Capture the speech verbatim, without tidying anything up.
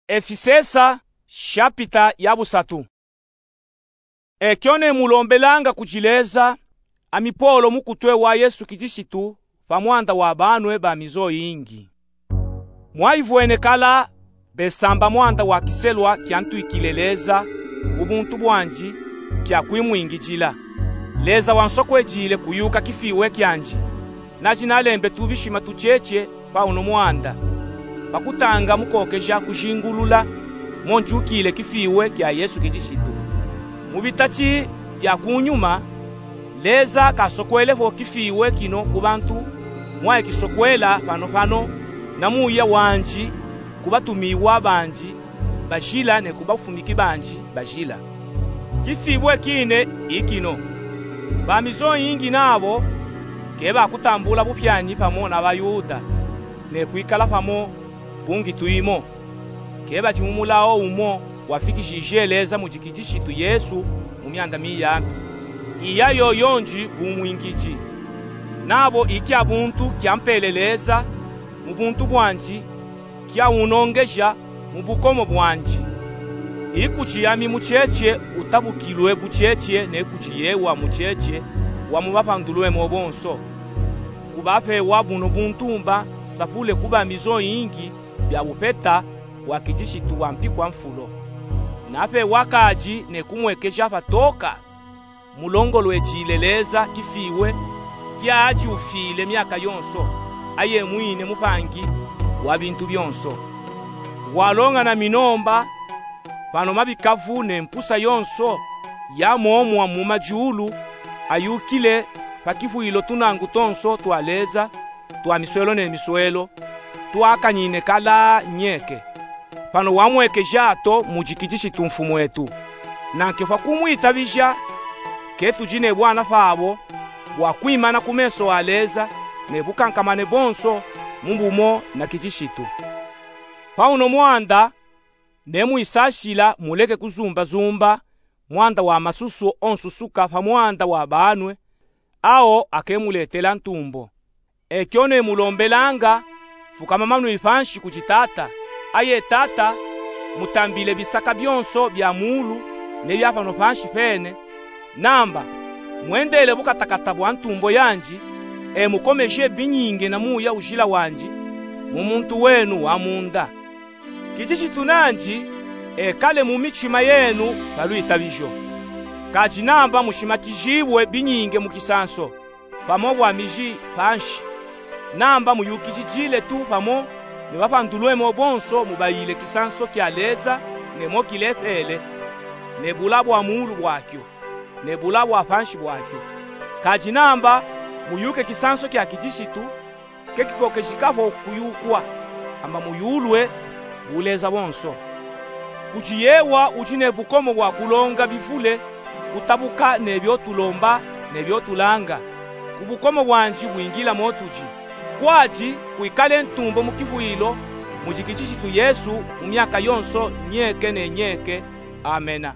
Efisesa, shapita ya busatu. Ekyo nemulombelanga kudi Leza, ami Polo, mukutwe wa Yesu Kilisitu, pa mwanda wa banwe ba mizo yingi. Mwayivwene kala besamba mwanda wa kiselwa kyantwikile Leza mu buntu bwandi, kyakwimwingidila. Leza wansokwedile kuyuka kifiwe kyandi, nadi nalembe tubishima tutyetye pa uno mwanda, pa kutanga mu kokeja kujingulula mo ndyukile kifiwe kya Yesu Kilisitu. Mu bitati bya kunyuma, Leza kasokwele fo kifiwe kino ku bantu mwaye kisokwela fano fano na muya wandi ku batumiwa bandi bajila ne ku bafumiki bandi bajila. Kifiwe kine i kino: ba mizo yingi nabo ke bakutambula bupyanyi pamo na Bayuda, ne kwikala pamo bungi twimo. Ke badi mu mulawo umo wafikishije Leza mudi Kilisitu Yesu mu myanda miyambi. Iya yoyo ndi bumwingidi. Nabo i kya buntu kyampele Leza mu buntu bwandi, kyawunongeja mu bukomo bwandi. I kudi ami mutyetye utabukilwe butyetye ne kudi yewa mutyetye wa mu bapandulwemo bonso. Kubapewa buno buntumba nsapule ku ba mizo yingi bya bupeta bwa Kilisitu wa mpikwa mfulo. Napewa kadi ne kumwekeja patoka, mulongolwedile Leza kifiwe kyadyufile myaka yonso, aye mwine mupangi wa bintu byonso. Walonga na minomba pano mabikavu ne mpusa yonso ya mwomwo mu majulu, ayukile pa kifwilo tunangu tonso twa Leza twa miswelo ne miswelo, twakanyine kala nyeke. Pano wamwekeja to mudi Kilisitu Mfumwetu. Nanke pa kumwitabija, ke tudi ne bwana pabo bwa kwimana ku meso a Leza ne bukankamane bonso mu bumo na Kilisitu. Pa uno mwanda, nemwisashila muleke kuzumbazumba mwanda wa masusu onsusuka pa mwanda wa banwe, awo akemuletela ntumbo. Ekyo nemulombelanga, fukama manwi panshi kudi Tata, aye Tata, mutambile bisaka byonso bya muulu ne bya pano panshi pene, namba mwendele bukatakata bwa ntumbo yandi, e mukomeje binyinge na muya ujila wandi mu muntu wenu wa munda. Kilisitu nandi ekale mu mitima yenu pa lwitabijo. Kadi namba mushimakijibwe binyinge mu kisanso, pamo bwa miji panshi. Namba muyukijijile tu pamo ne bapandulwemo bonso mubayile kisanso kya Leza, ne mo kilepele, ne bula bwa muulu bwakyo, ne bula bwa panshi bwakyo. Kadi namba muyuke kisanso kya Kilisitu, ke kikokejikapo kuyukwa, amba muyulwe buleza bonso. Kudi yewa udi ne bukomo bwa kulonga bivule, kutabuka ne byo tulomba ne byo tulanga, ku bukomo bwandi bwingila mo tudi. Kwadi kwikale ntumbo mu kifwilo mudi Kilisitu Yesu mu myaka yonso nyeke ne nyeke. Amena.